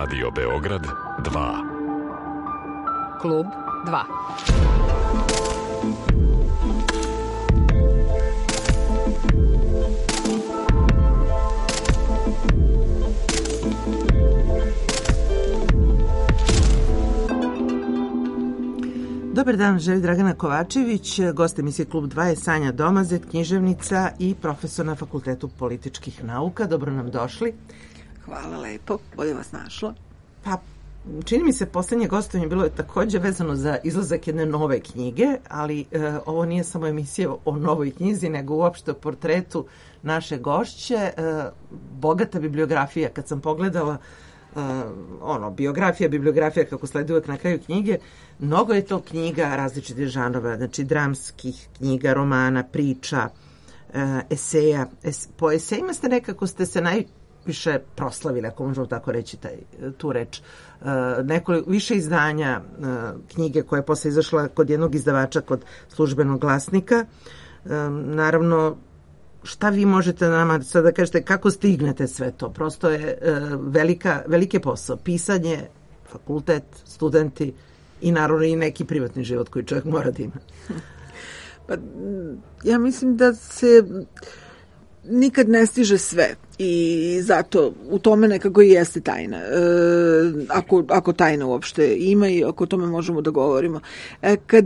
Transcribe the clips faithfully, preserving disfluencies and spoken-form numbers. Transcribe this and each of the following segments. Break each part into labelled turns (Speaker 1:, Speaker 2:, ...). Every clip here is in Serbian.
Speaker 1: Radio Beograd dva.
Speaker 2: Klub dva.
Speaker 3: Dobar dan, želi Dragana Kovačević, gost emisije Klub dva je Sanja Domazet, književnica i profesor na Fakultetu političkih nauka. Dobro nam došli.
Speaker 4: Hvala lepo, bolje vas našla.
Speaker 3: Pa, čini mi se, poslednje gostovanje bilo je takođe vezano za izlazak jedne nove knjige, ali e, ovo nije samo emisija o novoj knjizi, nego uopšte o portretu naše gošće. E, bogata bibliografija, kad sam pogledala Uh, ono, biografija, bibliografija kako sledi uvek na kraju knjige, mnogo je to knjiga različitih žanrova, znači dramskih knjiga, romana, priča, uh, eseja. Es, po esejima ste nekako ste se najviše proslavili, ako možemo tako reći taj, tu reč. Uh, nekoliko, više izdanja uh, knjige koja je posle izašla kod jednog izdavača, kod Službenog glasnika. Uh, naravno, šta vi možete nama sad da kažete, kako stignete sve to? Prosto je e, velika, velike posao. Pisanje, fakultet, studenti i naravno i neki privatni život koji čovjek mora da ima.
Speaker 4: Pa, ja mislim da se nikad ne stiže sve i zato u tome nekako i jeste tajna. E, ako, ako tajna uopšte ima i ako o tome možemo da govorimo. E, kad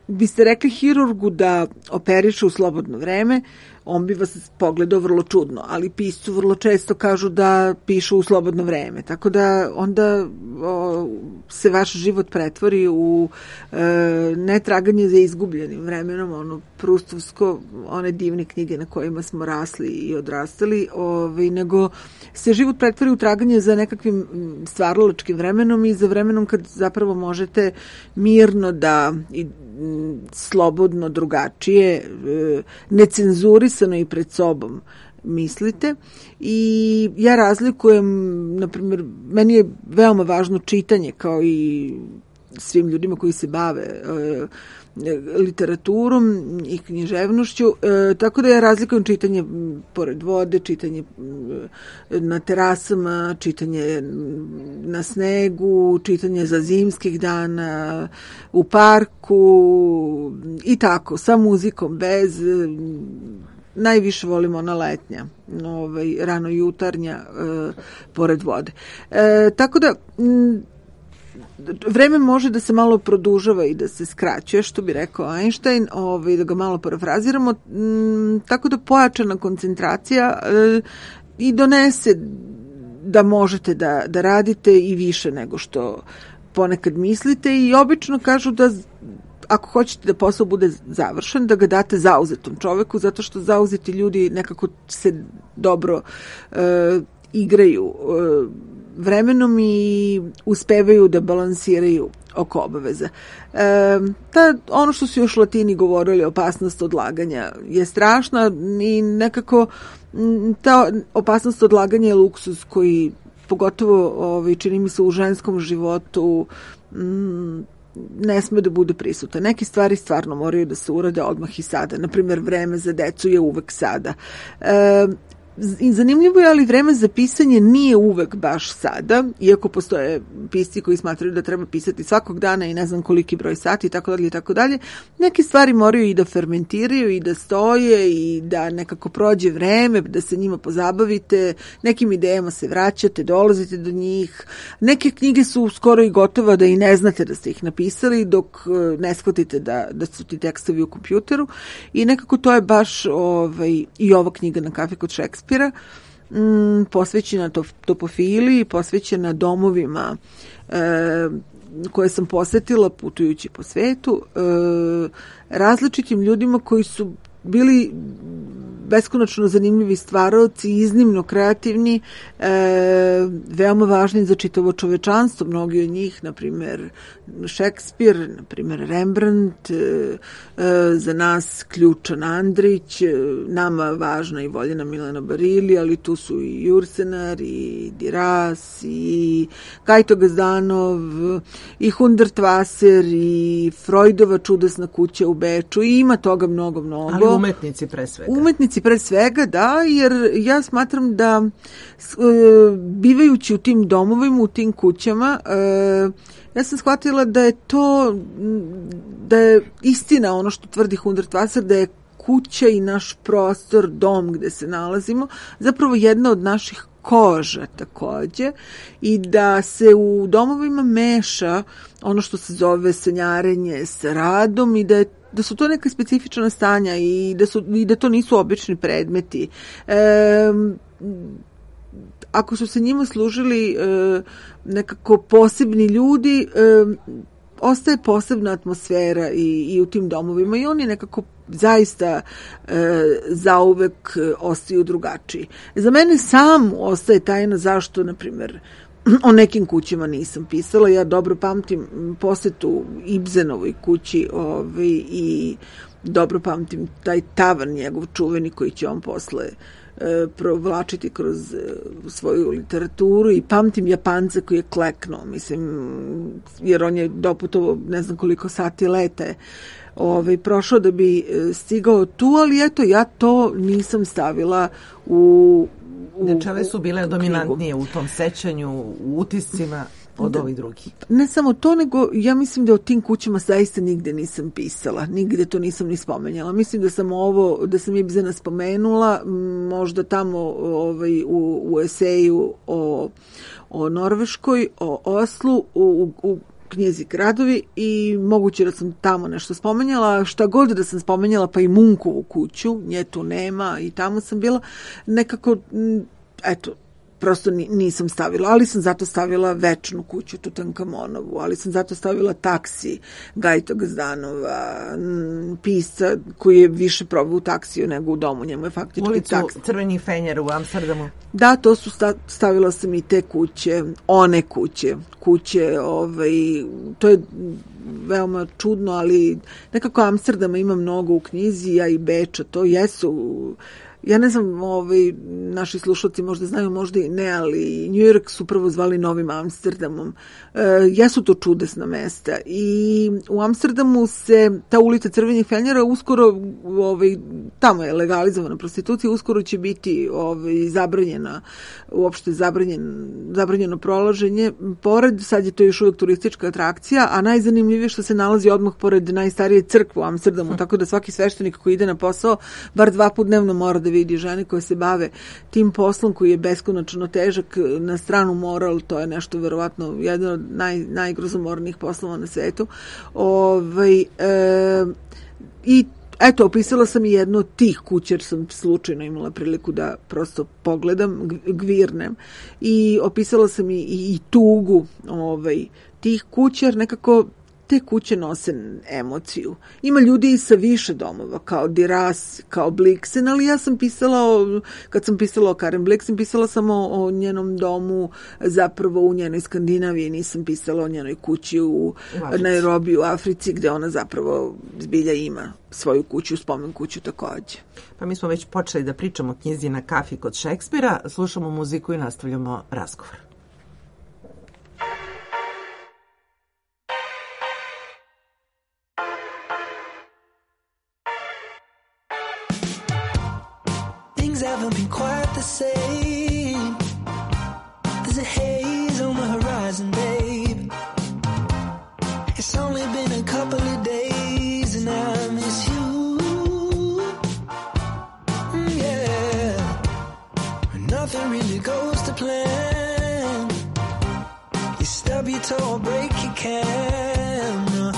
Speaker 4: biste rekli hirurgu da operiše u slobodno vreme, on bi vas pogledao vrlo čudno, ali piscu vrlo često kažu da pišu u slobodno vreme. Tako da onda o, se vaš život pretvori u e, netraganje za izgubljenim vremenom, ono prustovsko, one divne knjige na kojima smo rasli i odrastali, ovaj, nego se život pretvori u traganje za nekakvim stvaralačkim vremenom i za vremenom kad zapravo možete mirno da i slobodno, drugačije, necenzurisano i pred sobom mislite. I ja razlikujem, na primjer, meni je veoma važno čitanje, kao i svim ljudima koji se bave e, literaturom i književnošću, e, tako da ja razlikujem čitanje pored vode, čitanje na terasama, čitanje na snegu, čitanje za zimskih dana, u parku i tako, sa muzikom, bez, najviše volim ona letnja, ovaj, rano jutarnja, e, pored vode. E, tako da m, vreme može da se malo produžava i da se skraćuje, što bi rekao Einstein, ovaj, da ga malo parafraziramo, m, tako da pojačana koncentracija e, i donese da možete da, da radite i više nego što ponekad mislite i obično kažu da ako hoćete da posao bude završen, da ga date zauzetom čoveku, zato što zauzeti ljudi nekako se dobro e, igraju e, vremenom i uspevaju da balansiraju oko obaveza. E, ta, ono što su još Latini govorili, opasnost odlaganja je strašna i nekako ta opasnost odlaganja je luksuz koji pogotovo ovaj, čini mi se u ženskom životu m, ne sme da bude prisutan. Neke stvari stvarno moraju da se urade odmah i sada. Naprimjer, vreme za decu je uvek sada. E, I zanimljivo je, ali vreme za pisanje nije uvek baš sada, iako postoje pisci koji smatraju da treba pisati svakog dana i ne znam koliki broj sati i tako dalje i tako dalje. Neke stvari moraju i da fermentiraju i da stoje i da nekako prođe vreme, da se njima pozabavite, nekim idejama se vraćate, dolazite do njih. Neke knjige su skoro i gotova da i ne znate da ste ih napisali dok ne shvatite da, da su ti tekstovi u kompjuteru i nekako to je baš ovaj, i ova knjiga Na kafi kod Šekspira, Mm, posvećena topofiliji, posvećena domovima e, koje sam posetila putujući po svetu, e, različitim ljudima koji su bili beskonačno zanimljivi stvaraoci, iznimno kreativni, e, veoma važni za čitavo čovečanstvo, mnogi od njih, na primjer Šekspir, na primjer Rembrandt, e, e, za nas ključan Andrić, e, nama važna i voljena Milena Barili, ali tu su i Jursenar, i Diras, i Gajto Gazdanov, i Hundertwasser, i Freudova čudesna kuća u Beču, i ima toga mnogo, mnogo.
Speaker 3: Ali umetnici pre svega.
Speaker 4: Umetnici utisci pre svega, da, jer ja smatram da e, bivajući u tim domovima, u tim kućama, e, ja sam shvatila da je to, da je istina ono što tvrdi Hundertwasser, da je kuća i naš prostor, dom gde se nalazimo, zapravo jedna od naših koža takođe i da se u domovima meša ono što se zove sanjarenje sa radom i da je da su to neka specifična stanja i da, su, i da to nisu obični predmeti. E, ako su se njima služili e, nekako posebni ljudi, e, ostaje posebna atmosfera i, i u tim domovima i oni nekako zaista e, zauvek ostaju drugačiji. Za mene sam ostaje tajna zašto, na primjer, o nekim kućama nisam pisala. Ja dobro pamtim posetu Ibsenovoj kući ovaj, i dobro pamtim taj tavan njegov čuveni koji će on posle e, provlačiti kroz e, svoju literaturu i pamtim Japanca koji je kleknuo, mislim, jer on je doputovo ne znam koliko sati lete ovaj, prošao da bi stigao tu, ali eto, ja to nisam stavila u
Speaker 3: Znači, ove su bile dominantnije u tom sećanju, u utiscima od ovih drugih.
Speaker 4: Ne samo to, nego ja mislim da o tim kućama zaista nigde nisam pisala, nigde to nisam ni spomenjala. Mislim da sam ovo, da sam Ibsena spomenula, možda tamo ovaj, u, u eseju o, o Norveškoj, o Oslu, u, u knjizi Gradovi i moguće da sam tamo nešto spomenjala, šta god da sam spomenjala, pa i Munkovu kuću, nje tu nema i tamo sam bila, nekako, eto, prosto nisam stavila, ali sam zato stavila Večnu kuću Tutankamonovu, ali sam zato stavila Taksi Gajta Gazdanova, pisca koji je više probao u taksiju nego u domu, njemu je faktički
Speaker 3: Ulicu
Speaker 4: taksi.
Speaker 3: Crveni fenjer u Amsterdamu.
Speaker 4: Da, to su stavila sam i te kuće, one kuće, kuće, ovaj, to je veoma čudno, ali nekako Amsterdama ima mnogo u knjizi, a i Beča, to jesu. Ja ne znam, ovaj, naši slušalci možda znaju, možda i ne, ali New York su prvo zvali Novim Amsterdamom. E, jesu to čudesna mesta i u Amsterdamu se ta ulica Crvenih fenjera uskoro, ovaj, tamo je legalizovana prostitucija, uskoro će biti ovaj, zabranjena, uopšte zabranjen, zabranjeno prolaženje. Pored, sad je to još uvijek turistička atrakcija, a najzanimljivije što se nalazi odmah pored najstarije crkve u Amsterdamu, tako da svaki sveštenik koji ide na posao bar dva put dnevno mora da vidi žene koje se bave tim poslom koji je beskonačno težak, na stranu moral, to je nešto verovatno jedan od naj, najgrozomornijih poslova na svetu. Ovaj, e, I eto, opisala sam i jednu od tih kuća, jer sam slučajno imala priliku da prosto pogledam, gvirnem, i opisala sam i, i, i tugu ovaj, tih kuća, jer nekako te kuće nose emociju. Ima ljudi i sa više domova, kao Diras, kao Blixen, ali ja sam pisala, o, kad sam pisala o Karen Blixen, pisala sam o, o njenom domu, zapravo u njenoj Skandinaviji, nisam pisala o njenoj kući u, u Nairobi, u Africi, gde ona zapravo zbilja ima svoju kuću, spomen kuću takođe.
Speaker 3: Pa mi smo već počeli da pričamo o knjizi Na kafi kod Šekspira, slušamo muziku i nastavljamo razgovor.
Speaker 5: Haven't been quite the same. There's a haze on the horizon, babe. It's only been a couple of days and I miss you. Mm, yeah. Nothing really goes to plan. You stub your toe or break your can.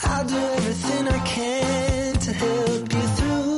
Speaker 5: I'll do everything I can to help you through.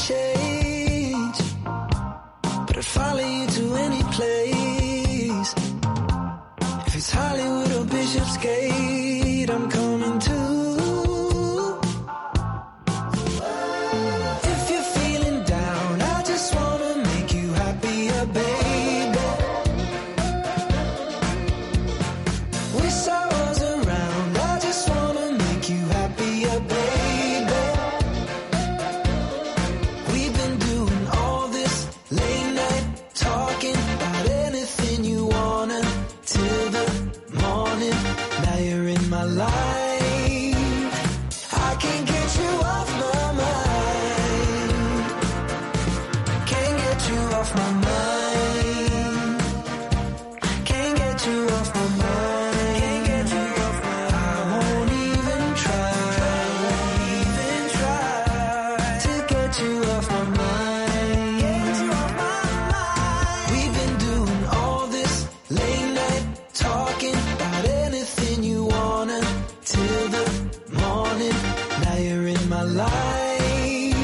Speaker 5: Change, but I'd follow you to any place. Is Hollywood or Bishopsgate? I'm coming to. If you're feeling down, I just wanna make you happier, baby. Wish I was around, I just wanna make you happier, baby. We've been doing all this late night talking about anything you wanna till the morning. Now you're in my life, I can't get you off my mind. Can't get you off my mind. Can't get you off my mind. Can't get you off my mind. I won't even try. Won't even try to get you off my mind. Get you off my mind. We've been doing all this late night talking about anything you wanna till the morning. Now you're in my life,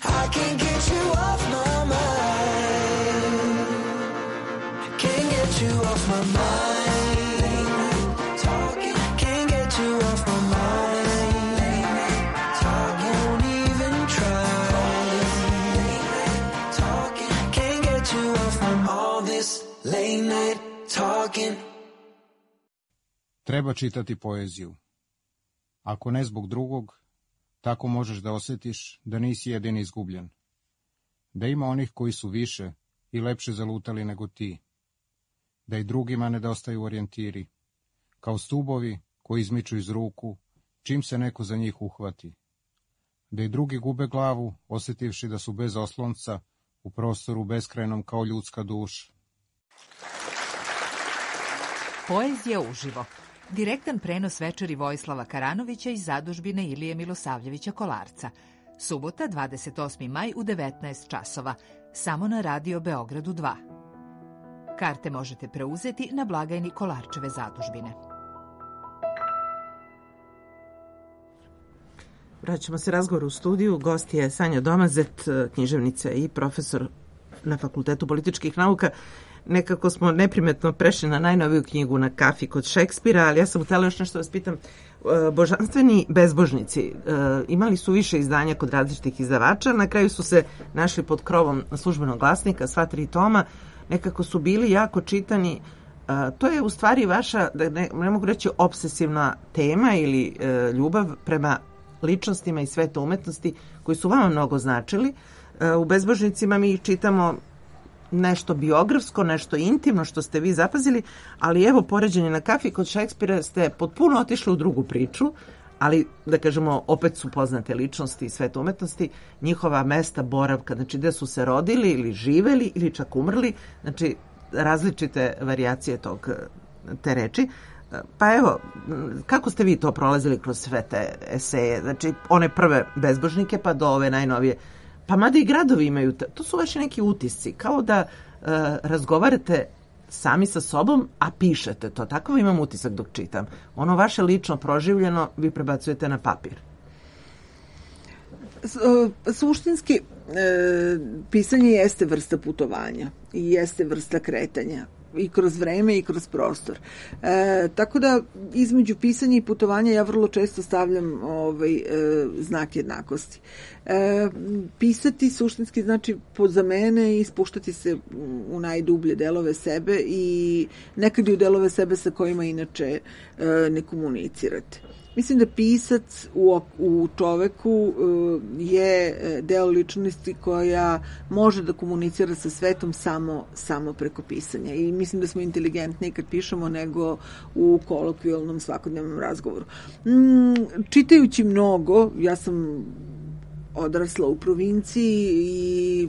Speaker 5: I can't get you off my mind. Can't get you off my mind. Late night talking, can't get you off my mind. Late night talking, won't even try. Late night talking, can't get you off from all this late night talking.
Speaker 6: Treba čitati poeziju. Ako ne zbog drugog, tako možeš da osjetiš da nisi jedini izgubljen. Da ima onih koji su više i lepše zalutali nego ti. Da i drugima nedostaju orijentiri, kao stubovi koji izmiču iz ruku, čim se neko za njih uhvati. Da i drugi gube glavu, osjetivši da su bez oslonca, u prostoru beskrajnom kao ljudska duša.
Speaker 2: Poezija uživo. Direktan prenos večeri Vojislava Karanovića iz zadužbine Ilije Milosavljevića Kolarca. Subota, dvadeset osmi maj u devetnaest časova. Samo na Radio Beogradu dva. Karte možete preuzeti na blagajni Kolarčeve zadužbine.
Speaker 3: Vraćamo se razgovoru u studiju. Gost je Sanja Domazet, književnica i profesor na Fakultetu političkih nauka. Nekako smo neprimetno prešli na najnoviju knjigu Na kafi kod Šekspira, ali ja sam htjela još nešto vas pitam. Božanstveni bezbožnici imali su više izdanja kod različitih izdavača, na kraju su se našli pod krovom Službenog glasnika, sva tri toma, nekako su bili jako čitani. To je u stvari vaša, ne, ne mogu reći obsesivna tema ili ljubav prema ličnostima i svetu umetnosti koji su vama mnogo značili. U Bezbožnicima mi čitamo nešto biografsko, nešto intimno što ste vi zapazili, ali evo poređenje Na kafi kod Šekspira ste potpuno otišli u drugu priču, ali da kažemo opet su poznate ličnosti i svet umetnosti, njihova mesta boravka, znači gde su se rodili ili živeli ili čak umrli, znači različite varijacije tog, te reči. Pa evo, kako ste vi to prolazili kroz sve te eseje, znači one prve bezbožnike pa do ove najnovije? Pa mada i gradovi imaju, to su vaši neki utisci, kao da uh, razgovarate sami sa sobom, a pišete to. Tako imam utisak dok čitam. Ono vaše lično proživljeno vi prebacujete na papir.
Speaker 4: Suštinski, e, pisanje jeste vrsta putovanja i jeste vrsta kretanja. I kroz vreme i kroz prostor. E, tako da između pisanja i putovanja ja vrlo često stavljam ovaj, e, znak jednakosti. E, pisati suštinski znači za mene i spuštati se u najdublje delove sebe i nekad i u delove sebe sa kojima inače e, ne komunicirate. Mislim da pisac u, u čoveku je deo ličnosti koja može da komunicira sa svetom samo, samo preko pisanja. I mislim da smo inteligentniji kad pišemo nego u kolokvijalnom svakodnevnom razgovoru. Čitajući mnogo, ja sam odrasla u provinciji i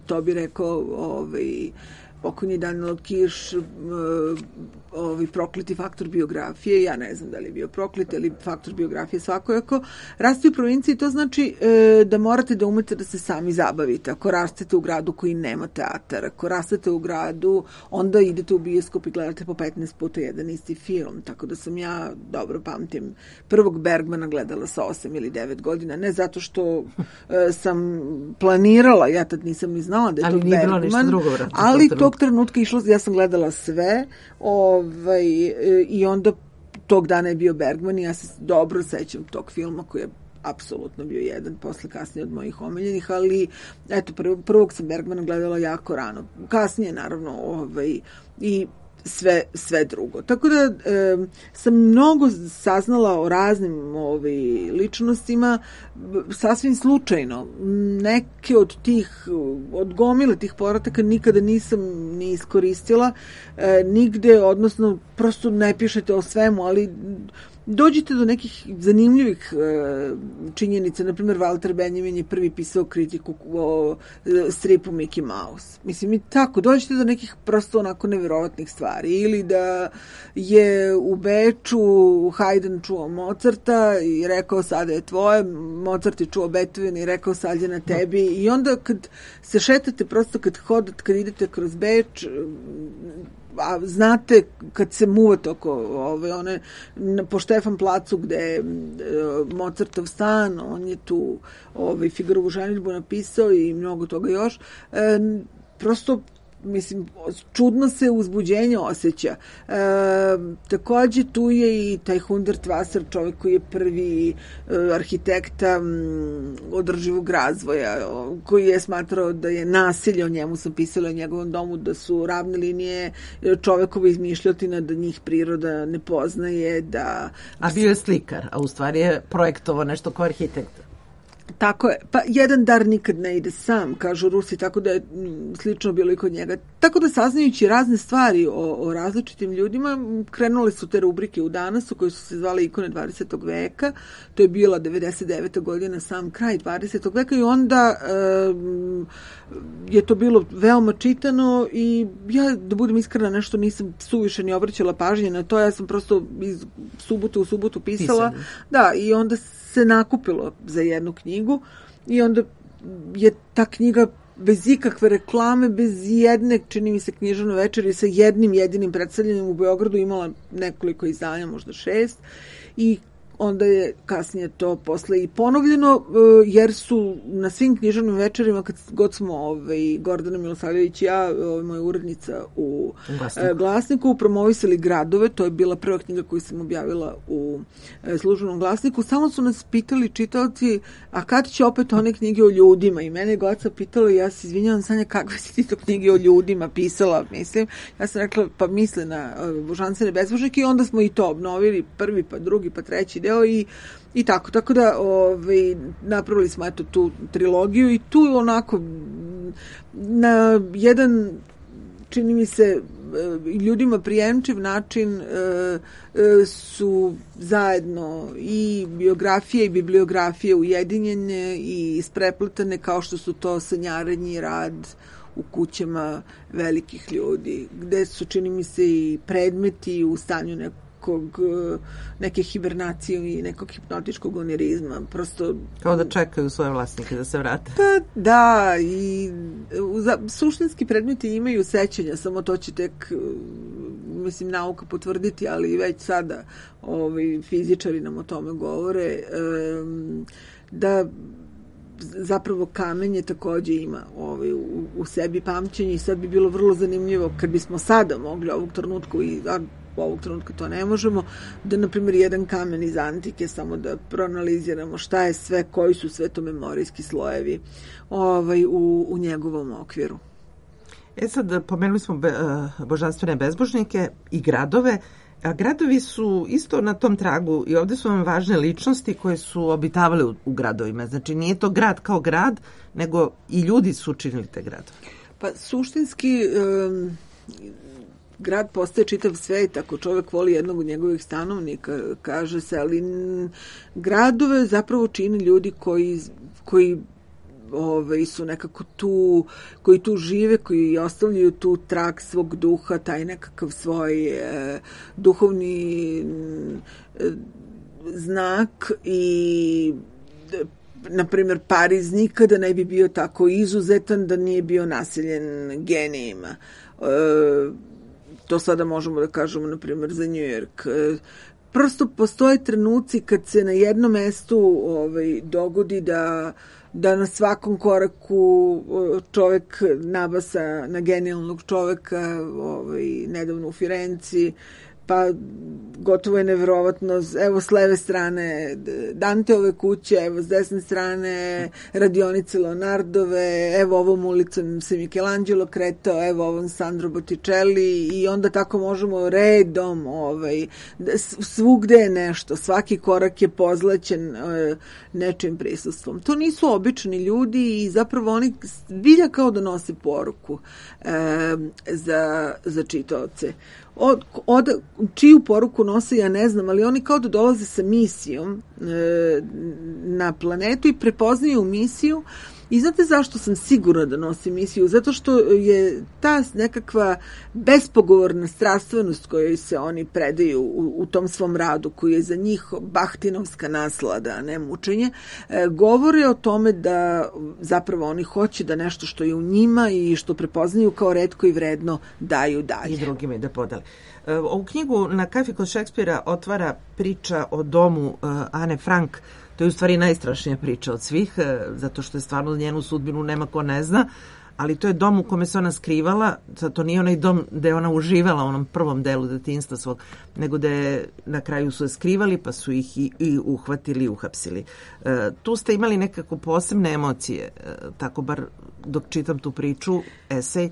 Speaker 4: to bi rekao ovaj, pokojni Daniel Kirš, ovaj prokleti faktor biografije, ja ne znam da li je bio proklet, ali faktor biografije svakojako. Rasti u provinciji, to znači e, da morate da umete da se sami zabavite. Ako rastete u gradu koji nema teatar, ako rastete u gradu, onda idete u bioskop i gledate po petnaest puta jedan isti film. Tako da sam ja, dobro pamtim, prvog Bergmana gledala sa osam ili devet godina, ne zato što e, sam planirala, ja tad nisam ni znala da je ali to Bergman, drugo, ali to tog trenutka išla, ja sam gledala sve, ovaj, i onda tog dana je bio Bergman i ja se dobro sećam tog filma koji je apsolutno bio jedan, posle kasnije od mojih omiljenih, ali eto, prvog, prvog sam Bergmana gledala jako rano. Kasnije, naravno, ovaj, i sve, sve drugo. Tako da e, sam mnogo saznala o raznim ovaj, ličnostima, sasvim slučajno. Neke od tih, od gomile tih povrataka nikada nisam ni iskoristila e, nigde, odnosno prosto ne pišete o svemu, ali dođete do nekih zanimljivih e, činjenica. Naprimjer, Walter Benjamin je prvi pisao kritiku o e, stripu Mickey Mouse. Mislim, i tako, dođete do nekih prosto onako neverovatnih stvari. Ili da je u Beču Haydn čuo Mozarta i rekao sada je tvoje, Mozart je čuo Beethoven i rekao sad je na tebi. I onda kad se šetate, prosto kad hodate, kad idete kroz Beč, a znate kad se muvate oko ove, one, po Štefan placu gde je Mozartov stan, on je tu ovaj, Figarovu ženidbu napisao i mnogo toga još. E, prosto mislim, čudno se uzbuđenje osjeća. E, takođe tu je i taj Hundertwasser, čovjek koji je prvi e, arhitekta m, održivog razvoja, koji je smatrao da je nasilje, o njemu sam pisala o njegovom domu, da su ravne linije čovekova izmišljotina, da njih priroda ne poznaje, da...
Speaker 3: A bio je slikar, a u stvari je projektovao nešto kao arhitekta.
Speaker 4: Tako je. Pa jedan dar nikad ne ide sam, kažu Rusi, tako da je slično bilo i kod njega. Tako da, saznajući razne stvari o, o različitim ljudima, krenule su te rubrike u Danasu koje su se zvale Ikone dvadesetog veka. To je bila devedeset deveta godina, sam kraj dvadesetog veka, i onda e, je to bilo veoma čitano i ja, da budem iskrena, nešto nisam suviše ni obraćala pažnje na to. Ja sam prosto iz subote u subotu pisala. Pisali. Da, i onda se nakupilo za jednu knjigu i onda je ta knjiga bez ikakve reklame, bez jedne, čini mi se, književne večeri sa jednim jedinim predstavljanjem u Beogradu imala nekoliko izdanja, možda šest, i onda je kasnije to posle i ponovljeno, jer su na svim književnim večerima, kad god smo ovaj, Gordana Milosavljević i ja, ovaj, moja urednica u Glasniku. Glasniku, promovisali gradove. To je bila prva knjiga koju sam objavila u službenom Glasniku. Samo su nas pitali čitaoci, a kad će opet one knjige o ljudima? I mene je Goca pitala, ja se izvinjavam, Sanja, kakve si ti to knjige o ljudima pisala, mislim. Ja sam rekla, pa misle na Božanstvene bezbožnike, i onda smo i to obnovili, prvi, pa drugi, pa treći deo i, i tako. Tako da ovaj, napravili smo eto tu trilogiju i tu onako na jedan, čini mi se, ljudima prijemčiv način su zajedno i biografije i bibliografije ujedinjene i isprepletane, kao što su to sanjarenje i rad u kućama velikih ljudi, gde su, čini mi se, i predmeti u stanju nekog, neke hibernacije i nekog hipnotičkog onirizma. Prosto... Kao
Speaker 3: da čekaju svoje vlasnike da se vrate.
Speaker 4: Pa da, i za, suštinski predmeti imaju sećanja, samo to će tek, mislim, nauka potvrditi, ali već sada ovi fizičari nam o tome govore, um, da zapravo kamenje takođe ima ovaj, u, u sebi pamćenje, i sad bi bilo vrlo zanimljivo kad bismo sada mogli ovog trenutku, i a, ovog trenutka to ne možemo, da na primjer jedan kamen iz antike samo da proanaliziramo šta je sve, koji su sve to memorijski slojevi ovaj, u, u njegovom okviru.
Speaker 3: E sad, pomenuli smo be, uh, božanstvene bezbožnike i gradove. A gradovi su isto na tom tragu i ovde su vam važne ličnosti koje su obitavale u, u gradovima. Znači, nije to grad kao grad, nego i ljudi su učinili te gradove.
Speaker 4: Pa suštinski um, grad postaje čitav svet ako čovek voli jednog od njegovih stanovnika, kaže se, ali gradove zapravo čini ljudi koji, koji Ove, su nekako tu, koji tu žive, koji ostavljaju tu trag svog duha, taj nekakav svoj e, duhovni e, znak. I na primjer, Pariz nikada ne bi bio tako izuzetan da nije bio naseljen genijima. E, to sada možemo da kažemo, na primjer, za New York. E, prosto postoje trenuci kad se na jednom mestu ovaj, dogodi da da na svakom koraku čovek nabasa na genijalnog čoveka, ovaj, nedavno u Firenci, pa gotovo je neverovatno, evo s leve strane Danteove kuće, evo s desne strane radionice Leonardove, evo ovom ulicom se Michelangelo kretao, evo ovom Sandro Botticelli, i onda tako možemo redom, ovaj, svugde je nešto, svaki korak je pozlaćen nečim prisustvom. To nisu obični ljudi i zapravo oni zbilja kao da nose poruku e, za, za čitaoce. Od, od, čiju poruku nose, ja ne znam, ali oni kao da dolaze sa misijom e, na planetu i prepoznaju misiju. I znate zašto sam sigurna da nosi misiju? Zato što je ta nekakva bespogovorna strastvenost kojoj se oni predaju u, u tom svom radu, koji je za njih bahtinovska naslada, a ne mučenje, e, govore o tome da zapravo oni hoće da nešto što je u njima i što prepoznaju kao retko i vredno daju dalje.
Speaker 3: I drugima i da podale. Ovu knjigu Na kafi kod Šekspira otvara priča o domu uh, Ane Frank. To je u stvari najstrašnija priča od svih, zato što je stvarno njenu sudbinu nema ko ne zna, ali to je dom u kome se ona skrivala, to nije onaj dom gde je ona uživala u onom prvom delu detinjstva svog, nego da je na kraju su je skrivali pa su ih i, i uhvatili i uhapsili. E, tu ste imali nekako posebne emocije, e, tako bar dok čitam tu priču, esej, e,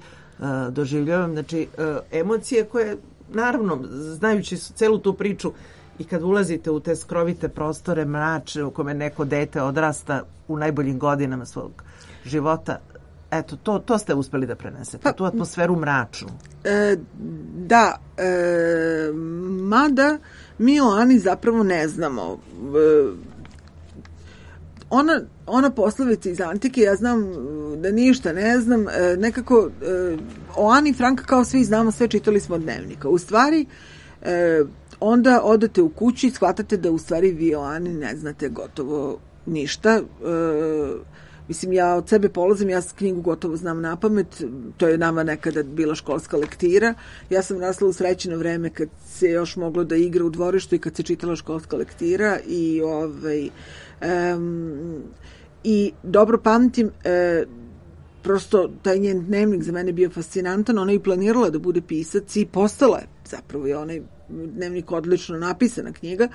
Speaker 3: doživljavam, znači e, emocije koje, naravno, znajući celu tu priču, i kad ulazite u te skrovite prostore mračne u kome neko dete odrasta u najboljim godinama svog života, eto, to, to ste uspeli da prenesete, pa, tu atmosferu mračnu.
Speaker 4: E, da, e, mada mi o Ani zapravo ne znamo. E, ona, ona poslovica iz antike, ja znam da ništa ne znam, e, nekako e, o Ani Frank kao svi znamo, sve čitali smo od dnevnika. U stvari, e, onda odete u kući i shvatate da u stvari vi o Ani ne znate gotovo ništa. E, mislim, ja od sebe polazim, ja knjigu gotovo znam na pamet, to je nama nekada bila školska lektira. Ja sam rasla u srećeno vreme kad se još moglo da igra u dvorištu i kad se čitala školska lektira i ovaj, um, i dobro pamtim, e, prosto taj njen dnevnik za mene bio fascinantan, ona je planirala da bude pisac i postala je, zapravo je onaj dnevnik odlično napisana knjiga.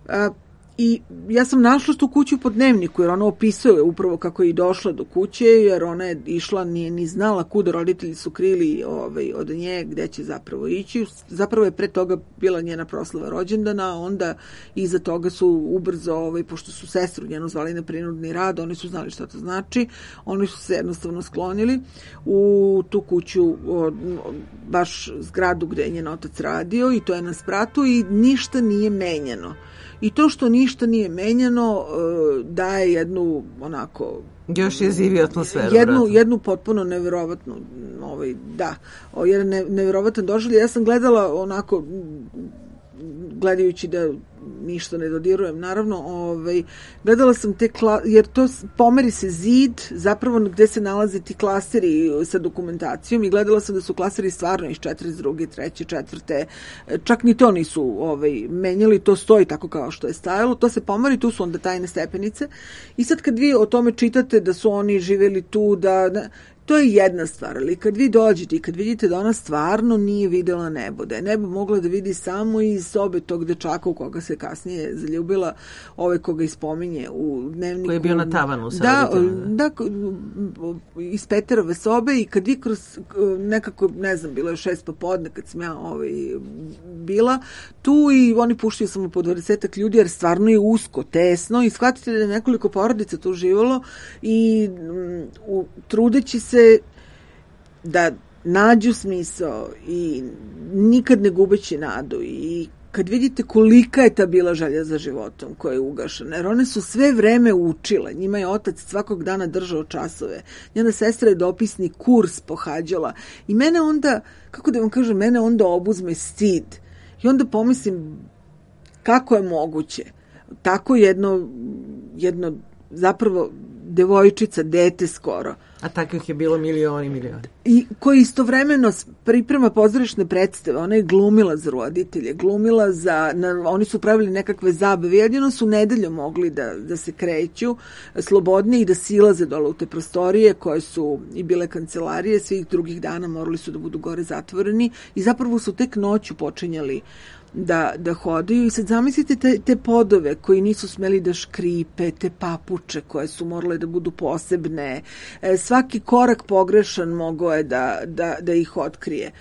Speaker 4: A, I ja sam našla tu kuću po dnevniku, jer ona opisuje upravo kako je i došla do kuće, jer ona je išla, nije ni znala kuda, roditelji su krili ovaj, od nje gde će zapravo ići. Zapravo je pre toga bila njena proslava rođendana, onda iza toga su ubrzo, ovaj, pošto su sestru njenu zvali na prinudni rad, oni su znali šta to znači, oni su se jednostavno sklonili u tu kuću, o, baš zgradu gde je njen otac radio, i to je na spratu i ništa nije menjano. I to što ništa nije menjano daje jednu onako
Speaker 3: još jeziviju atmosferu.
Speaker 4: Jednu, jednu potpuno neverovatnu, ovaj, da, jedan ne, neverovatan doživljaj. Ja sam gledala onako, gledajući da ništa ne dodirujem, naravno, ovaj, gledala sam te, kla, jer to pomeri se zid, zapravo gde se nalaze ti klaseri sa dokumentacijom, i gledala sam da su klaseri stvarno iz četrdeset druge, treće, četvrte, čak ni to nisu ovaj, menjali, to stoji tako kao što je stajalo, to se pomeri, tu su onda tajne stepenice, i sad kad vi o tome čitate da su oni živjeli tu, da, da to je jedna stvar, ali kad vi dođete i kad vidite da ona stvarno nije videla nebo, da je nebo mogla da vidi samo iz sobe tog dečaka u koga se kasnije zaljubila, ove koga ispominje u dnevniku.
Speaker 3: Koji je bio na tavanu sa
Speaker 4: da, da, iz Peterove sobe, i kad vi kroz nekako, ne znam, bilo je šest popodne kad sam ja ovaj, bila tu, i oni puštaju samo po dvadesetak ljudi, jer stvarno je usko, tesno, i shvatite da je nekoliko porodica tu živalo, i u, trudeći se da nađu smisao i nikad ne gubeći nadu, i kad vidite kolika je ta bila želja za životom koja je ugašena, jer one su sve vreme učile, njima je otac svakog dana držao časove, njena sestra je dopisni kurs pohađala, i mene onda, kako da vam kažem, mene onda obuzme stid, i onda pomislim kako je moguće tako jedno, jedno zapravo devojčica, dete skoro.
Speaker 3: A takvih je bilo milioni, milioni.
Speaker 4: I koji istovremeno priprema pozorišne predstave. Ona je glumila za roditelje, glumila za... Na, oni su pravili nekakve zabave. Jedino su nedeljom mogli da, da se kreću slobodnije i da silaze dole u te prostorije koje su i bile kancelarije. Svih drugih dana morali su da budu gore zatvoreni i zapravo su tek noću počinjali da, da hodaju i sad zamislite te, te podove koji nisu smeli da škripe, te papuče koje su morale da budu posebne, e, svaki korak pogrešan mogao je da, da, da ih otkrije.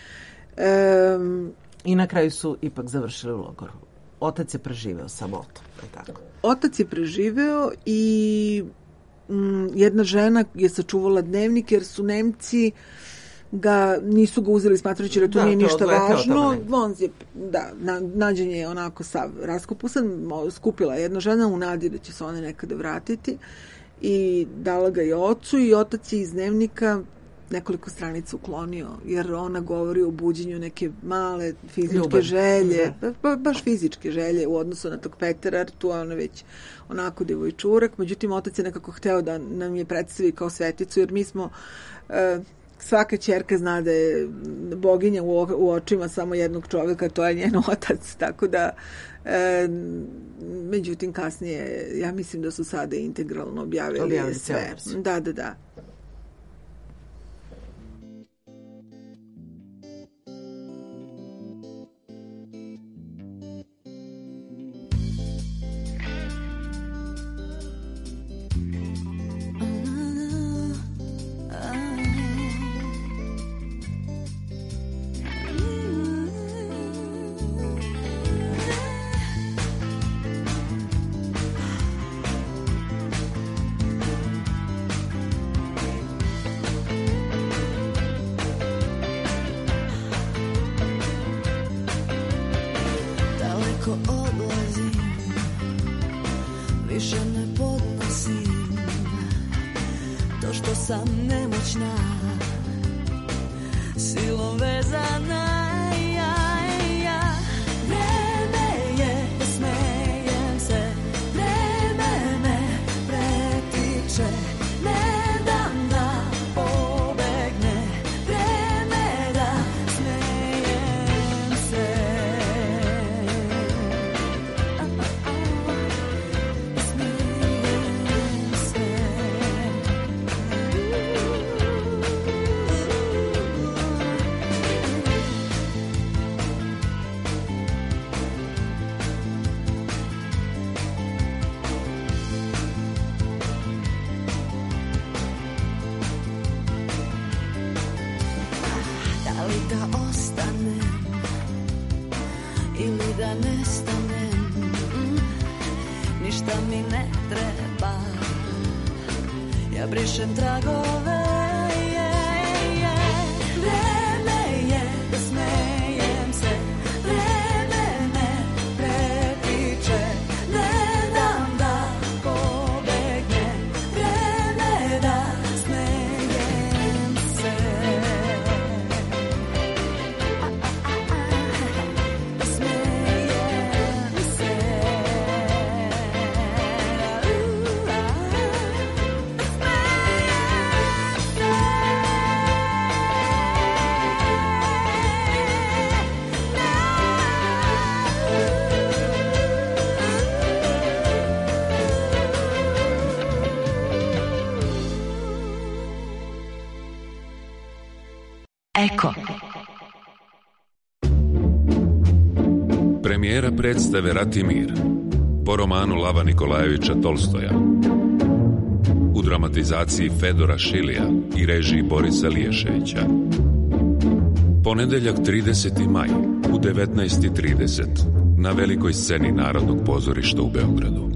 Speaker 4: E,
Speaker 3: I na kraju su ipak završili u logoru. Otac je preživeo samotu. Tako.
Speaker 4: Otac je preživeo i m, jedna žena je sačuvala dnevnik jer su Nemci ga nisu ga uzeli smatrajući da to da, nije to ništa važno. On je, da, na, nađen je onako sav raskupusan, skupila jedna žena u nadi da će se one nekada vratiti i dala ga je ocu i otac je iz dnevnika nekoliko stranica uklonio, jer ona govori o buđenju neke male fizičke Ljubav. želje, ba, baš fizičke želje u odnosu na tog Petera, tu je ona već onako devojčurak, međutim otac je nekako hteo da nam je predstavi kao sveticu, jer mi smo uh, svaka ćerka zna da je boginja u, u očima samo jednog čovjeka, to je njen otac, tako da e, međutim kasnije ja mislim da su sada integralno objavili, objavili sve. Da, da, da.
Speaker 7: Eko. Premijera predstave Ratimir po romanu Lava Nikolajevića Tolstoja u dramatizaciji Fedora Šilija i režiji Borisa Liješevića. Ponedeljak trideseti maj u devetnaest i trideset na velikoj sceni Narodnog pozorišta u Beogradu.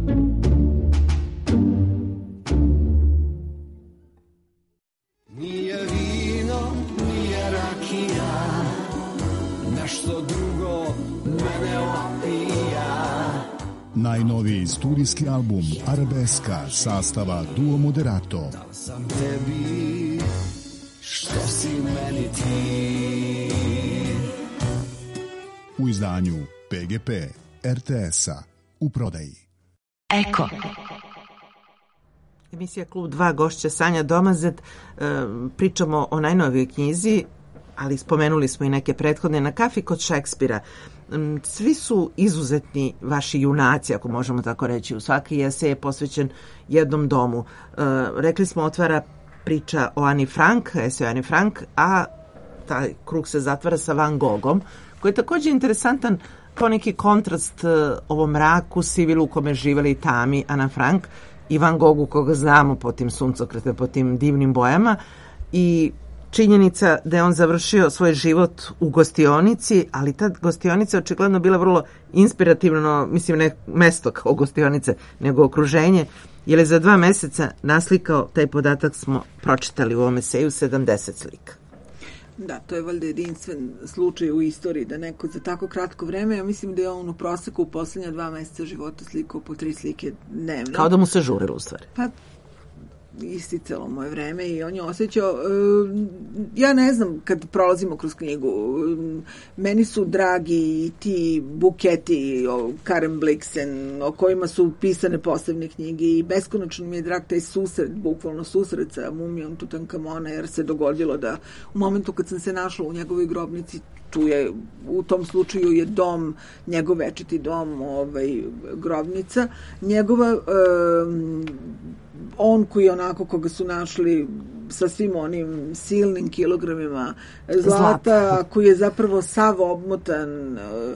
Speaker 8: Najnoviji studijski album Arabeska sastava Duo Moderato.
Speaker 5: Da sam tebi, što si meni ti.
Speaker 8: U izdanju P G P R T S-a u prodaji.
Speaker 7: Eko.
Speaker 3: Emisija Klub dva, gošća Sanja Domazet. Pričamo o najnovijoj knjizi, ali spomenuli smo i neke prethodne, Na kafi kod Šekspira. Svi su izuzetni vaši junaci, ako možemo tako reći. U svaki esej je posvećen jednom domu. Rekli smo, otvara priča o Ani Frank, esej o Ani Frank, a taj krug se zatvara sa Van Gogom, koji je također interesantan kao neki kontrast ovom mraku, sivilu u kome živeli tami Ana Frank i Van Gogu koga znamo po tim suncokretima, po tim divnim bojama, i činjenica da je on završio svoj život u gostionici, ali ta gostionica je očigledno bila vrlo inspirativno, mislim ne mesto kao gostionice, nego okruženje, jer je za dva meseca naslikao, taj podatak smo pročitali u ovom eseju, sedamdeset slika.
Speaker 4: Da, to je valjda jedinstven slučaj u istoriji da neko za tako kratko vreme, ja mislim da je on u proseku u poslednja dva meseca života slikao po tri slike dnevno.
Speaker 3: Kao da mu se žurilo u stvari.
Speaker 4: Pa, isticalo moje vreme i on je osjećao, ja ne znam, kad prolazimo kroz knjigu, meni su dragi ti buketi o Karen Blixen, o kojima su pisane posebne knjige, i beskonačno mi je drag taj susret, bukvalno susret sa mumijom Tutankamona, jer se dogodilo da u momentu kad sam se našla u njegovoj grobnici, tu je, u tom slučaju je dom, njegov večiti dom, ovaj, grobnica, njegova, um, on koji je onako koga su našli sa svim onim silnim kilogramima zlata, zlata. Koji je zapravo sav obmotan uh,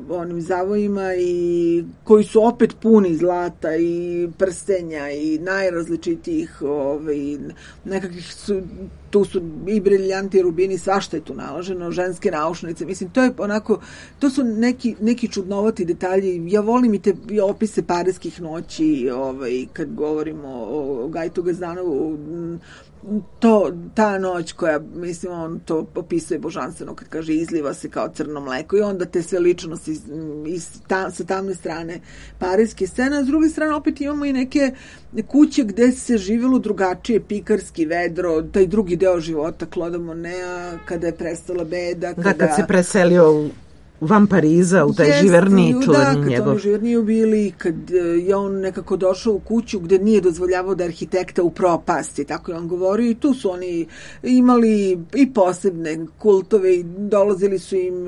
Speaker 4: onim zavojima i koji su opet puni zlata i prstenja i najrazličitijih ovaj, nekakvih su, tu su i briljanti, rubini, svašta je tu naloženo, ženske naušnice, mislim, to je onako, to su neki, neki čudnovati detalji. Ja volim i te opise parijskih noći, ovaj, kad govorimo o, o Gajtu Gazdanovu, to, ta noć koja, mislim, on to opisuje božanstveno kad kaže izliva se kao crno mleko, i onda te sve ličnosti iz, iz ta, sa tamne strane parijske scene, a s druge strane opet imamo i neke kuće gde se živjelo drugačije, pikarski, vedro, taj drugi deo života Claude Moneta, kada je prestala beda, kada...
Speaker 3: Da, kad se preselio u van Pariza, u taj živerni čuveni
Speaker 4: da, kad
Speaker 3: njegov.
Speaker 4: oni živerni ubili, kad je on nekako došao u kuću gde nije dozvoljavao da arhitekta upropasti, tako je on govorio, i tu su oni imali i posebne kultove i dolazili su im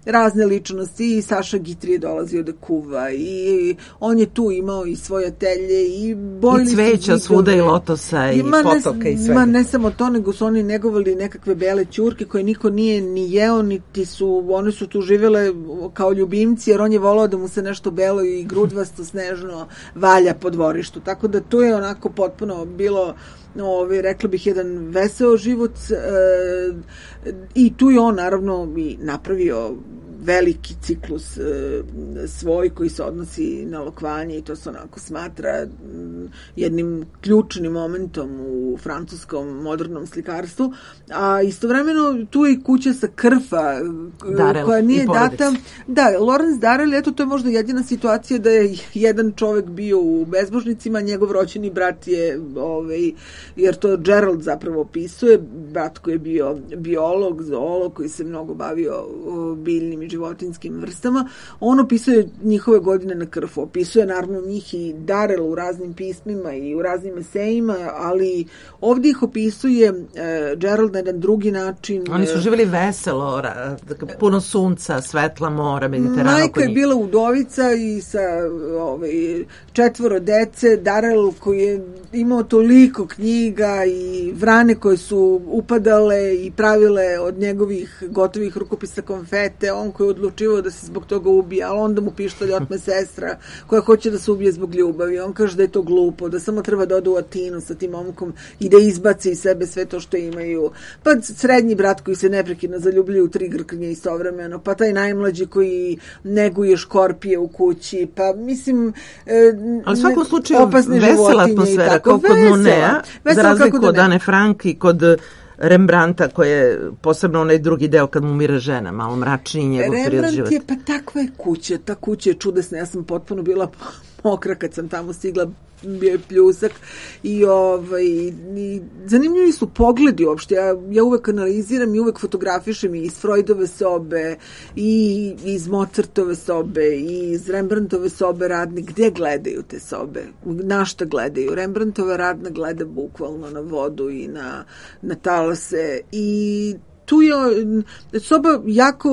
Speaker 4: razne ličnosti, i Saša Guitry je dolazio da kuva, i on je tu imao i svoje atelje, i bojili
Speaker 3: i cveća svuda, i lotosa, i, i potoka, ne, i svega.
Speaker 4: Ma ne samo to, nego su oni negovali nekakve bele ćurke koje niko nije ni jeo, niti su, one su tu živjeli kao ljubimci, jer on je volao da mu se nešto belo i grudvasto, snežno valja po dvorištu. Tako da to je onako potpuno bilo, ovaj, rekla bih, jedan veseo život, e, i tu je on naravno i napravio veliki ciklus e, svoj koji se odnosi na lokvanje, i to se onako smatra m, jednim ključnim momentom u francuskom modernom slikarstvu, a istovremeno tu je i kuća sa Krfa
Speaker 3: Darel,
Speaker 4: koja nije data. Da, Lorenz Darel, eto, to je možda jedina situacija da je jedan čovek bio u bezbožnicima, njegov rođeni brat je, ovaj, jer to Gerald zapravo opisuje, brat koji je bio biolog, zoolog, koji se mnogo bavio o, biljnim i životinskim vrstama, on opisuje njihove godine na Krfu, opisuje naravno njih i Darel u raznim pismima i u raznim esejima, ali ovdje ih opisuje e, Gerald na jedan drugi način.
Speaker 3: Oni su živjeli veselo, puno sunca, svetla mora, Mediterana.
Speaker 4: Majka je bila udovica i sa ovaj, četvoro dece, Darel koji je imao toliko knjiga i vrane koje su upadale i pravile od njegovih gotovih rukopisa konfete, on koji je odlučivao da se zbog toga ubije, ali onda mu pištolj otme sestra koja hoće da se ubije zbog ljubavi. On kaže da je to glupo, da samo treba da ode u Atinu sa tim momkom i da izbaci iz sebe sve to što imaju. Pa srednji brat koji se neprekidno zaljubljuje u tri grknje istovremeno, pa taj najmlađi koji neguje škorpije u kući, pa mislim... E,
Speaker 3: ali u svakom slučaju vesela atmosfera, kao kod Monea, za razliku od Ane Frank i kod Rembrandta, koji je posebno onaj drugi deo kad mu umire žena, malo mračniji njegov period života.
Speaker 4: Rembrandt je, pa takva je kuća, ta kuća je čudesna, ja sam potpuno bila mokra kad sam tamo stigla, bio je pljusak i, ovaj, i zanimljivi su pogledi uopšte. Ja, ja uvek analiziram i uvek fotografišem i iz Freudove sobe i iz Mozartove sobe i iz Rembrandtove sobe radne. Gde gledaju te sobe? Na šta gledaju? Rembrandtova radna gleda bukvalno na vodu i na, na talase i tu je soba jako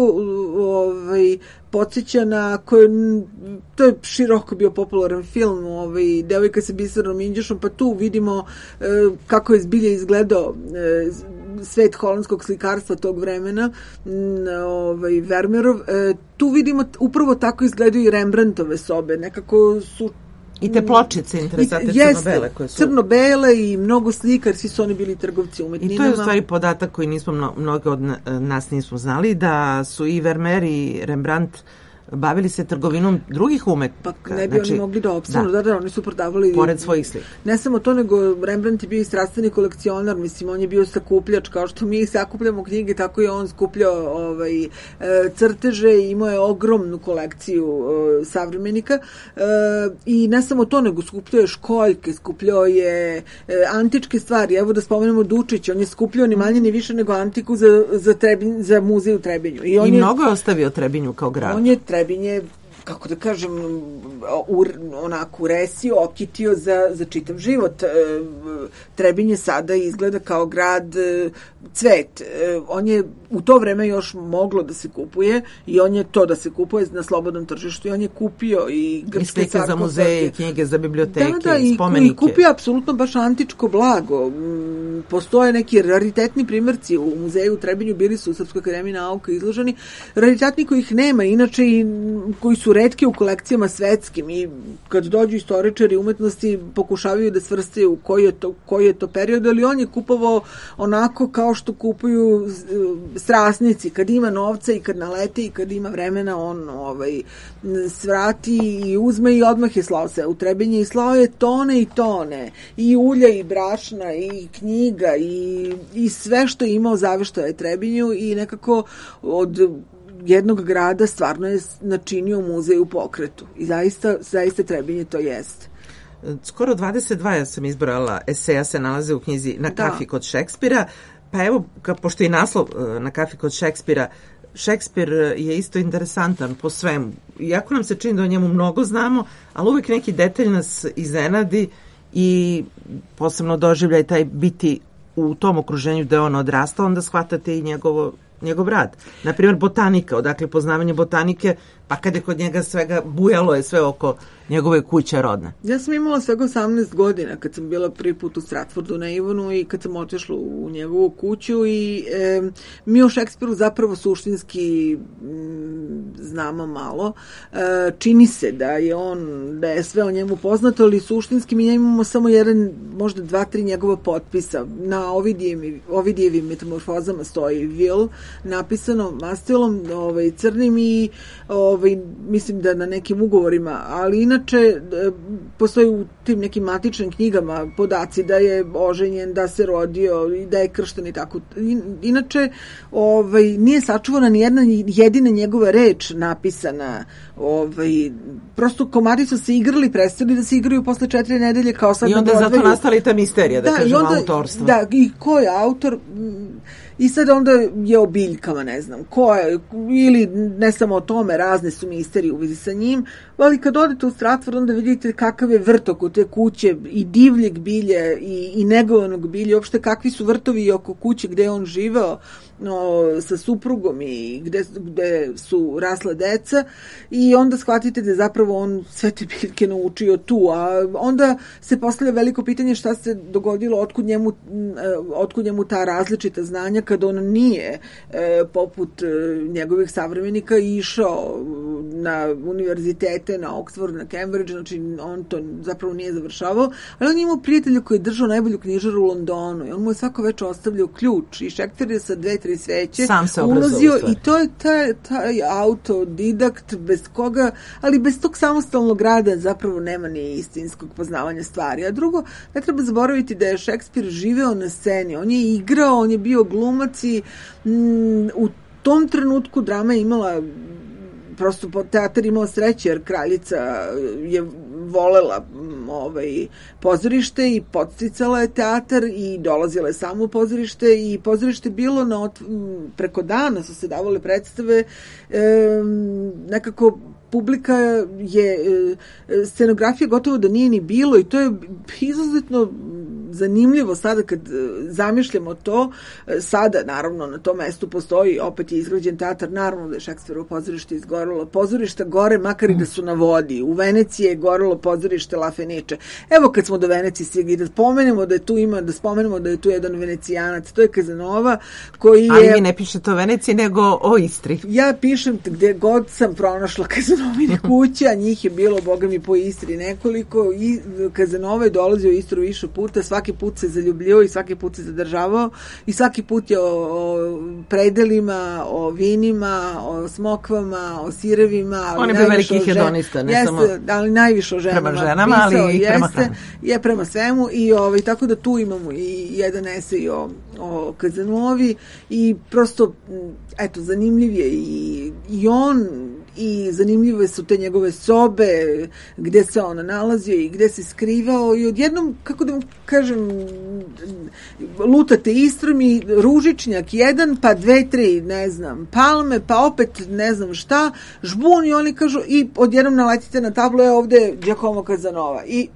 Speaker 4: ovaj, podsjeća na koje, to je široko bio popularan film, ovaj, Devojka sa bisernom Indjušom, pa tu vidimo e, kako je zbilja izgledao e, svet holandskog slikarstva tog vremena, ovaj, Vermeerov. E, tu vidimo upravo tako izgledaju i Rembrandtove sobe, nekako su
Speaker 3: i te pločice interesante crno-bele koje su.
Speaker 4: Crno-bele i mnogo slika, jer svi su oni bili trgovci umetninama.
Speaker 3: I to je u stvari podatak koji nismo, mno, mnogo od nas nismo znali, da su i Vermeer i Rembrandt bavili se trgovinom drugih umetnika.
Speaker 4: Pa ne bi znači, oni mogli da opstanu, da. da, da, oni su prodavali...
Speaker 3: Pored svojih slika.
Speaker 4: Ne samo to, nego Rembrandt je bio i strastveni kolekcionar, mislim, on je bio sakupljač, kao što mi sakupljamo knjige, tako je on skupljao ovaj, crteže i imao je ogromnu kolekciju uh, savremenika. Uh, I ne samo to, nego skupljao je školjke, skupljao je uh, antičke stvari. Evo da spomenemo Dučić, on je skupljao ni manje ni više nego antiku za, za, Trebinj, za muzej u Trebinju. I, on
Speaker 3: I
Speaker 4: je,
Speaker 3: mnogo je ostavio Trebinju kao grad.
Speaker 4: On je Trebinje, kako da kažem, ur, onako uresio, okitio za, za čitav život. Trebinje sada izgleda kao grad cvet. On je u to vreme još moglo da se kupuje i on je to da se kupuje na slobodnom tržištu i on je kupio i grčke
Speaker 3: slike za muzeje, knjige za biblioteke,
Speaker 4: da, da, i
Speaker 3: spomenike.
Speaker 4: I kupio apsolutno baš antičko blago. Postoje neki raritetni primjerci u muzeju u Trebinju, bili su u Srpskoj akademiji nauka izloženi. Raritetni kojih nema, inače i koji su retki u kolekcijama svetskim i kad dođu istoričari umetnosti pokušavaju da svrstaju koji je to, koji je to period, ali on je kupovao onako kao što kupuju strasnici, kad ima novca i kad nalete i kad ima vremena, on ovaj, svrati i uzme i odmah je slao se u Trebinje i slao je tone i tone i ulja i brašna i knjiga i, i sve što je imao zaveštao je Trebinju i nekako od jednog grada stvarno je načinio muzej u pokretu i zaista, zaista Trebinje to jeste.
Speaker 3: Skoro dvadeset dva ja sam izbrala eseja se nalaze u knjizi Na kafi da. Kod Šekspira. Pa evo, ka, pošto je naslov Na kafi kod Šekspira, Šekspir je isto interesantan po svemu. Iako nam se čini da o njemu mnogo znamo, ali uvek neki detalj nas iznenadi i posebno doživljaj taj biti u tom okruženju da je on odrastao, onda shvatate i njegovo, njegov rad. Naprimjer, botanika, odakle poznavanje botanike, pa kad je kod njega svega bujalo je sve oko njegove kuće rodne.
Speaker 4: Ja sam imala svega osamnaest godina kad sam bila prvi put u Stratfordu na Ivanu i kad sam otišla u njegovu kuću i e, mi o Šekspiru zapravo suštinski m, znamo malo. E, čini se da je on, da je sve o njemu poznato, ali suštinski mi imamo samo jedan, možda dva, tri njegova potpisa. Na Ovidijevim, Ovidijevim metamorfozama stoji Will, napisano mastilom ovaj, crnim i ovaj, mislim da na nekim ugovorima, ali inače postoji u tim nekim matičnim knjigama podaci da je oženjen, da se rodio i da je kršten i tako. Inače, ovaj, nije sačuvana ni jedna jedina njegova reč napisana. Ovaj, prosto komadi su se igrali, prestali da se igraju posle četiri nedelje kao sad.
Speaker 3: I onda je zato nastala i ta misterija, da, da kažemo, onda, autorstva.
Speaker 4: Da, i ko je autor? I sad onda je o biljkama, ne znam, ko je, ili ne samo o tome, razne su misterije u vezi sa njim, ali kad odete u Stratford, onda vidite kakav je vrt oko te kuće i divljeg bilje i, i negovanog bilje, uopšte kakvi su vrtovi oko kuće gde je on živeo no, sa suprugom i gde, gde su rasla deca i onda shvatite da je zapravo on sve te biljke naučio tu, a onda se postavlja veliko pitanje šta se dogodilo, otkud njemu, otkud njemu ta različita znanja kad on nije e, poput e, njegovih savremenika išao na univerzitete, na Oxford, na Cambridge, znači on to zapravo nije završavao, ali on je imao prijatelja koji je držao najbolju knjižaru u Londonu i on mu je svako večer ostavljao ključ i Šekspir je sa dve, tri sveće ulazio i to je taj, taj autodidakt bez koga, ali bez tog samostalnog rada zapravo nema ni istinskog poznavanja stvari. A drugo, ne treba zaboraviti da je Šekspir živeo na sceni, on je igrao, on je bio glumac i mm, u tom trenutku drama je imala prosto teatar imao sreće jer kraljica je volela ovaj, pozorište i podsticala je teatar i dolazila je samo u pozorište i pozorište bilo na, preko dana su se davale predstave, e, nekako publika je, scenografija gotovo da nije ni bilo i to je izuzetno zanimljivo sada kad zamišljamo to. Sada, naravno, na tom mestu postoji, opet je izgrađen teatar, naravno da je Šekspirovo pozorište izgorelo. Pozorišta gore, makar i da su na vodi. U Veneciji je gorelo pozorište La Fenice. Evo kad smo do Venecije stigli, da spomenemo da je tu ima, da spomenemo da je tu jedan Venecijanac, to je Kazanova, koji je...
Speaker 3: Ali vi ne pišete o Veneciji, nego o Istri.
Speaker 4: Ja pišem gde god sam pronašla Kazanovine kuće, a njih je bilo, boga mi, po Istri nekoliko. I Kazanova je dolazio u Istru više puta, svaki put se zaljubljivao i svaki put se zadržavao i svaki put je o, o predelima, o vinima, o smokvama, o sirevima.
Speaker 3: On je bio veliki hedonista, ne
Speaker 4: jeste,
Speaker 3: samo
Speaker 4: ali najviše o ženama.
Speaker 3: Prema ženama, ali
Speaker 4: pisao,
Speaker 3: i prema
Speaker 4: jeste, je prema svemu i ovaj, tako da tu imamo i jedan esej o, o Kazanovi i prosto, eto, zanimljiv je i, i on i zanimljive su te njegove sobe gde se on nalazio i gde se skrivao i odjednom, kako da vam kažem, lutate Istrom i Ružičnjak jedan, pa dve, tri, ne znam, Palme, pa opet ne znam šta, žbun i oni kažu i odjednom naletite na tablu, je ovde Giacomo Kazanova i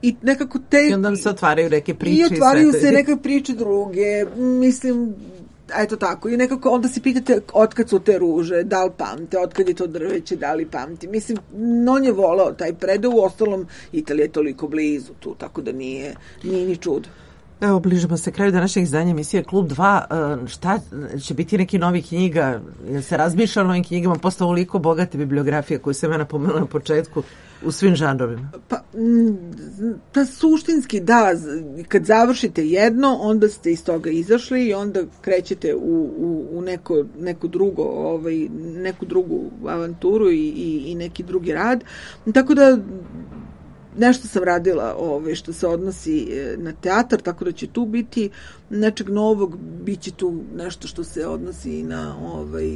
Speaker 4: i nekako te...
Speaker 3: I onda se otvaraju neke priče.
Speaker 4: I otvaraju se neke priče druge, mislim, eto tako, i nekako onda se pitate otkad su te ruže, da li pamte, otkad je to drveće, da li pamti. Mislim, on je volao taj predeo, u ostalom Italija je toliko blizu tu, tako da nije, nije ni čudo.
Speaker 3: Evo, bližimo se kraju današnjeg izdanja emisije Klub dva. Šta će biti neki novi knjiga? Jel se razmišlja o novim knjigama? Posle ovoliko bogate bibliografije koju sam ja napomenula na početku u svim žanrovima.
Speaker 4: Pa, pa suštinski da, kad završite jedno, onda ste iz toga izašli i onda krećete u, u, u neko, neko drugo, ovaj, neku drugu avanturu i, i, i neki drugi rad. Tako da nešto sam radila ovaj, što se odnosi na teatar, tako da će tu biti nečeg novog, bit će tu nešto što se odnosi na ovaj,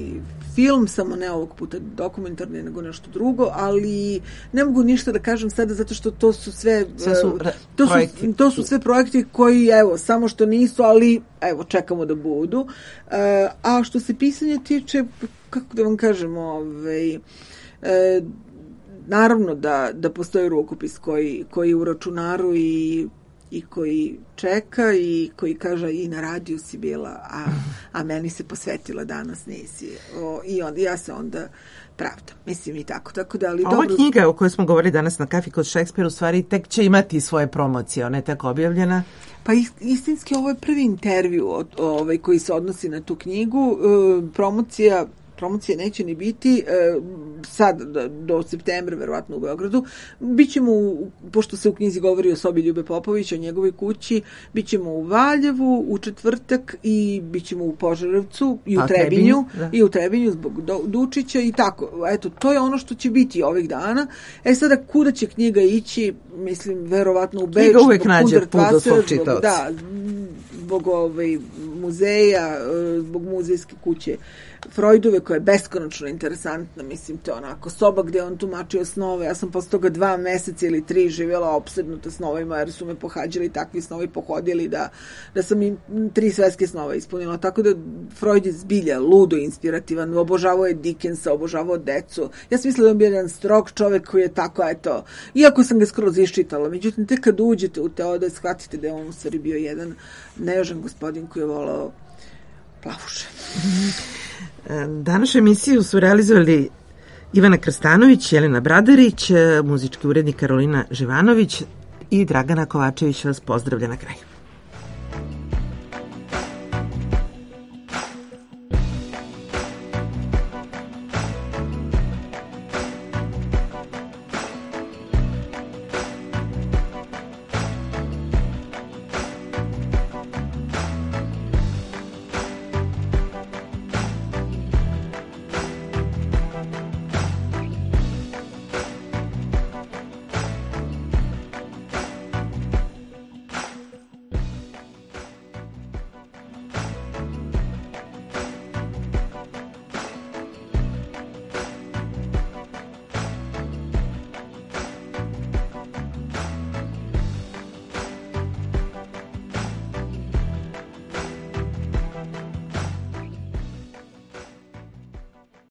Speaker 4: film, samo ne ovog puta dokumentarni, nego nešto drugo, ali ne mogu ništa da kažem sada zato što to su sve,
Speaker 3: sve su
Speaker 4: to, su, to su sve projekti koji, evo, samo što nisu, ali evo, čekamo da budu. A što se pisanja tiče, kako da vam kažem, ovaj, naravno da, da postoji rukopis koji, koji je u računaru i, i koji čeka i koji kaže i na radiju si bila, a, a meni se posvetila danas nisi. O, I onda ja se onda pravdam. Mislim i tako. tako da, ali
Speaker 3: Ova
Speaker 4: dobro...
Speaker 3: knjiga o kojoj smo govorili danas na kafi kod Šekspira u stvari tek će imati svoje promocije. Ona je tako objavljena.
Speaker 4: Pa istinski ovo je prvi intervju od, ovaj, koji se odnosi na tu knjigu. E, promocija promocije neće ni biti, e, sad do, do septembra verovatno u Beogradu. Bićemo, u, pošto se u knjizi govori o sobi Ljube Popovića, o njegovoj kući, bićemo u Valjevu u četvrtak i bićemo u Požarevcu i u A, Trebinju, Trebinju i u Trebinju zbog do, Dučića i tako. Eto, to je ono što će biti ovih dana. E sada, kuda će knjiga ići, mislim, verovatno u Beč.
Speaker 3: Knjiga uvek nađe put do svog čitaoca.
Speaker 4: Da, zbog ovaj, muzeja, zbog muzejske kuće Freudove, koja je beskonačno interesantna, mislim, to je onako soba gde on tumačio snove. Ja sam posle toga dva meseca ili tri živjela opsednuta snovima, jer su me pohađali takvi snovi, pohodili da, da sam im tri svetske snova ispunila. Tako da Freud je zbilja ludo inspirativan, obožavao je Dickensa, obožavao decu. Ja sam mislila da je bio jedan strog čovek koji je tako, eto, iako sam ga skroz iščitala, međutim, tek kad uđete u te ode, shvatite da je on u stvari bio jedan nežan gospodin koji je volao plavuše.
Speaker 3: Današnju emisiju su realizovali Ivana Krstanović, Jelena Bradarić, muzički urednik Karolina Živanović i Dragana Kovačević vas pozdravlja na kraju.